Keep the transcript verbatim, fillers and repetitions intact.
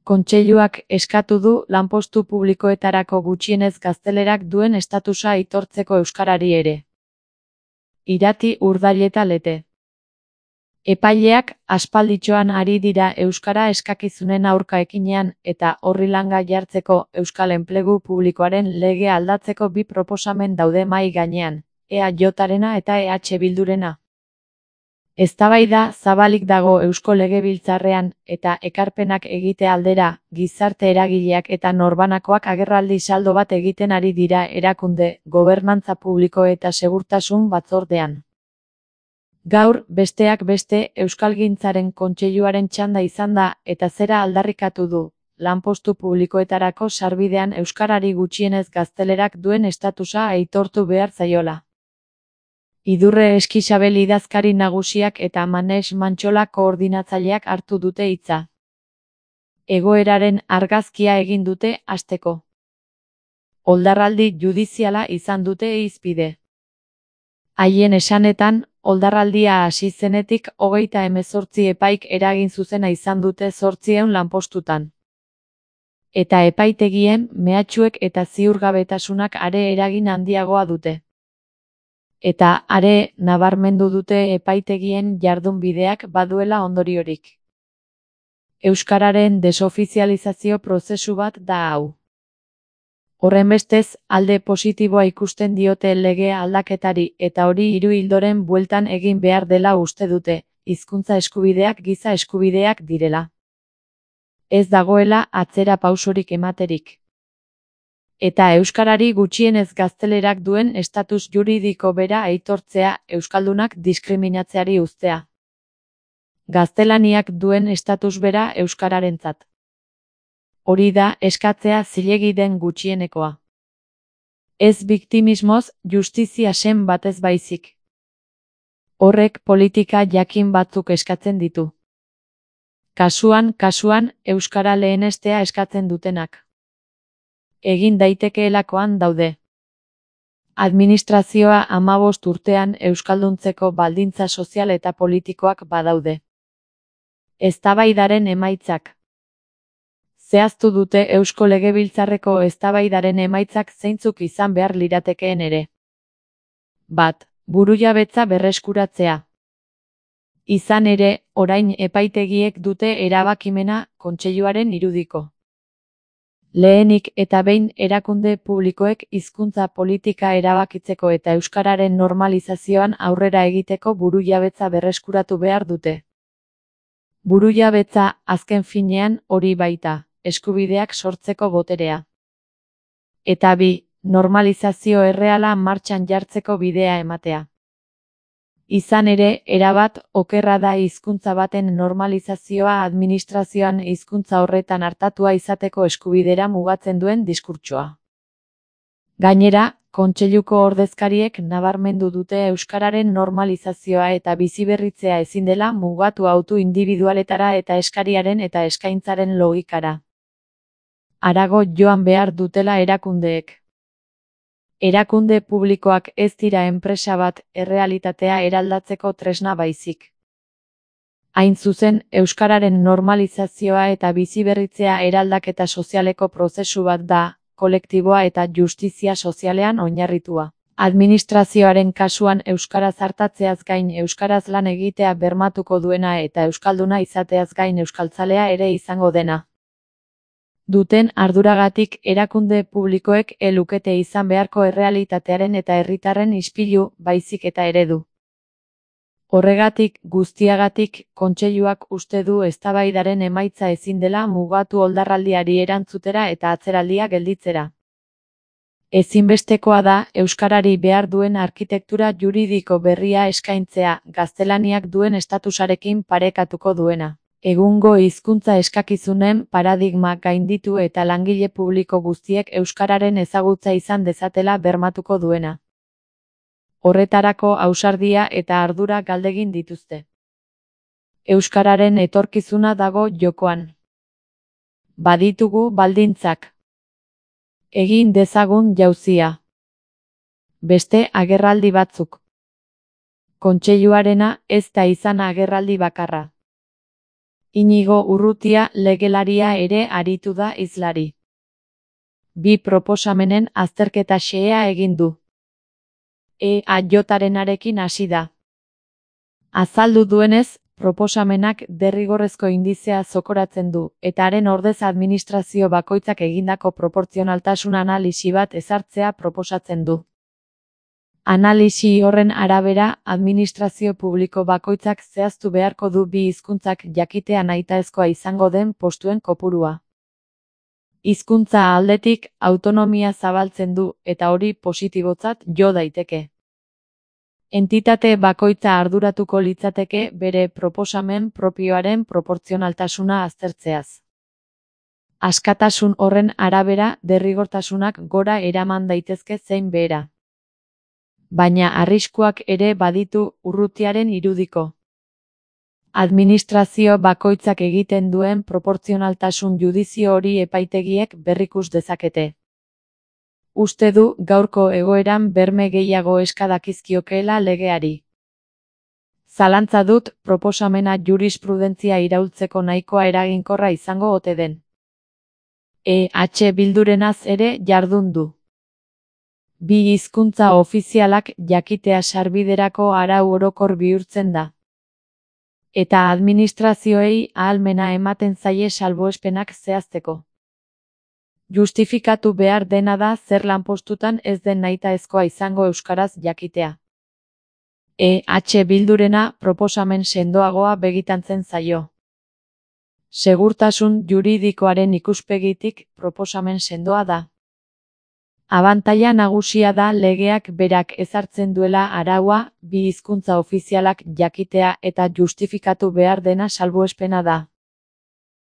Kontseiluak eskatu du lanpostu publikoetarako gutxienez gaztelerak duen estatusa aitortzeko euskarari ere. Irati Urdaileta Lete. Epaileak aspalditxoan ari dira euskara eskakizunen aurka ekinean eta horri langa jartzeko euskal enplegu publikoaren lege aldatzeko bi proposamen daude mahai gainean, E A Jrena eta E H Bildurena. Eztabaida zabalik dago Eusko Legebiltzarrean eta ekarpenak egite aldera, gizarte eragileak eta norbanakoak agerraldi saldo bat egiten ari dira erakunde, gobernantza publiko eta segurtasun batzordean. Gaur, besteak beste, Euskalgintzaren Kontseiluaren txanda izan da eta zera aldarrikatu du, lanpostu publikoetarako sarbidean euskarari gutxienez gaztelerak duen estatusa aitortu behar zaiola. Idurre Eskixabel idazkari nagusiak eta Manex Mantxola koordinatzaileak hartu dute hitza. Egoeraren argazkia egin dute hasteko. Oldarraldi judiziala izan dute hizpide. Haien esanetan, oldarraldia hasi zenetik hogeita hemezortzi epaik eragin zuzena izan dute zortziehun lanpostutan. Eta epaitegien, mehatxuek eta ziurgabetasunak are eragin handiagoa dute. Eta are, nabarmendu dute epaitegien jardunbideak baduela ondoriorik. Euskararen desofizializazio prozesu bat da hau. Horrenbestez, alde positiboa ikusten diote lege aldaketari eta hori hiru ildoren bueltan egin behar dela uste dute, hizkuntza eskubideak giza eskubideak direla. Ez dagoela atzera pausorik ematerik. Eta euskarari gutxienez gaztelerak duen estatus juridiko bera aitortzea euskaldunak diskriminatzeari uztea. Gaztelaniak duen estatus bera euskararentzat. Hori da eskatzea zilegi den gutxienekoa. Ez biktimismoz, justizia sen batez baizik. Horrek politika jakin batzuk eskatzen ditu. Kasuan, kasuan, euskara lehenestea eskatzen dutenak. Egin daitekeelakoan daude. Administrazioa hamabost urtean euskalduntzeko baldintza sozial eta politikoak badaude. Eztabaidaren emaitzak. Zehaztu dute Eusko Legebiltzarreko eztabaidaren emaitzak zeintzuk izan behar liratekeen ere. Bat. Burujabetza berreskuratzea. Izan ere, orain epaitegiek dute erabakimena Kontseiluaren irudiko. Lehenik eta behin erakunde publikoek hizkuntza politika erabakitzeko eta euskararen normalizazioan aurrera egiteko burujabetza berreskuratu behar dute. Burujabetza, azken finean, hori baita, eskubideak sortzeko boterea. Eta bi, normalizazio erreala martxan jartzeko bidea ematea. Izan ere, erabat, okerra da hizkuntza baten normalizazioa administrazioan hizkuntza horretan artatua izateko eskubidera mugatzen duen diskurtsoa. Gainera, Kontseiluko ordezkariek nabarmendu dute euskararen normalizazioa eta biziberritzea ezin dela mugatu autu indibidualetara eta eskariaren eta eskaintzaren logikara. Harago joan behar dutela erakundeek. Erakunde publikoak ez dira enpresa bat errealitatea eraldatzeko tresna baizik. Hain zuzen, euskararen normalizazioa eta biziberritzea eraldaketa sozialeko prozesu bat da, kolektiboa eta justizia sozialean oinarritua. Administrazioaren kasuan euskaraz hartatzeaz gain euskaraz lan egitea bermatuko duena eta euskalduna izateaz gain euskaltzalea ere izango dena. Duten arduragatik erakunde publikoek ez lukete izan beharko errealitatearen eta herritarren ispilu, baizik eta eredu. Horregatik, guztiagatik, Kontseiluak uste du eztabaidaren emaitza ezin dela mugatu oldarraldiari erantzutera eta atzeraldia gelditzera. Ezinbestekoa da, euskarari behar duen arkitektura juridiko berria eskaintzea, gaztelaniak duen estatusarekin parekatuko duena. Egungo hizkuntza eskakizunen paradigma gainditu eta langile publiko guztiek euskararen ezagutza izan dezatela bermatuko duena. Horretarako ausardia eta ardura galdegin dituzte. Euskararen etorkizuna dago jokoan. Baditugu baldintzak. Egin dezagun jauzia. Beste agerraldi batzuk. Kontseiluarena ez da izan agerraldi bakarra. Inigo Urrutia legelaria ere aritu da hizlari. Bi proposamenen azterketa xehea egin du. E A J-arenarekin hasi da. Azaldu duenez, proposamenak derrigorrezko indizea zokoratzen du, eta haren ordez administrazio bakoitzak egindako proportzionaltasun analisi bat ezartzea proposatzen du. Analisi horren arabera, administrazio publiko bakoitzak zehaztu beharko du bi hizkuntzak jakitea nahitaezkoa izango den postuen kopurua. Hizkuntza aldetik, autonomia zabaltzen du, eta hori positibotzat jo daiteke. Entitate bakoitza arduratuko litzateke bere proposamen propioaren proportzionaltasuna aztertzeaz. Askatasun horren arabera derrigortasunak gora eraman daitezke zein behera. Baina arriskuak ere baditu Urrutiaren irudiko. Administrazio bakoitzak egiten duen proportzionaltasun judizio hori epaitegiek berrikus dezakete. Uste du gaurko egoeran berme gehiago eska dakizkiokeela legeari. Zalantza dut proposamena jurisprudentzia iraultzeko nahikoa eraginkorra izango ote den. E H Bildurenaz ere jardun du. Bi hizkuntza ofizialak jakitea sarbiderako arau orokor bihurtzen da. Eta administrazioei ahalmena ematen zaie salbuespenak zehazteko. Justifikatu behar dena da zer lanpostutan ez den nahitaezkoa izango euskaraz jakitea. E H Bildurena proposamen sendoagoa begitantzen zaio. Segurtasun juridikoaren ikuspegitik proposamen sendoa da. Abantaila nagusia da legeak berak ezartzen duela araua, bi hizkuntza ofizialak jakitea eta justifikatu behar dena salbuespena da.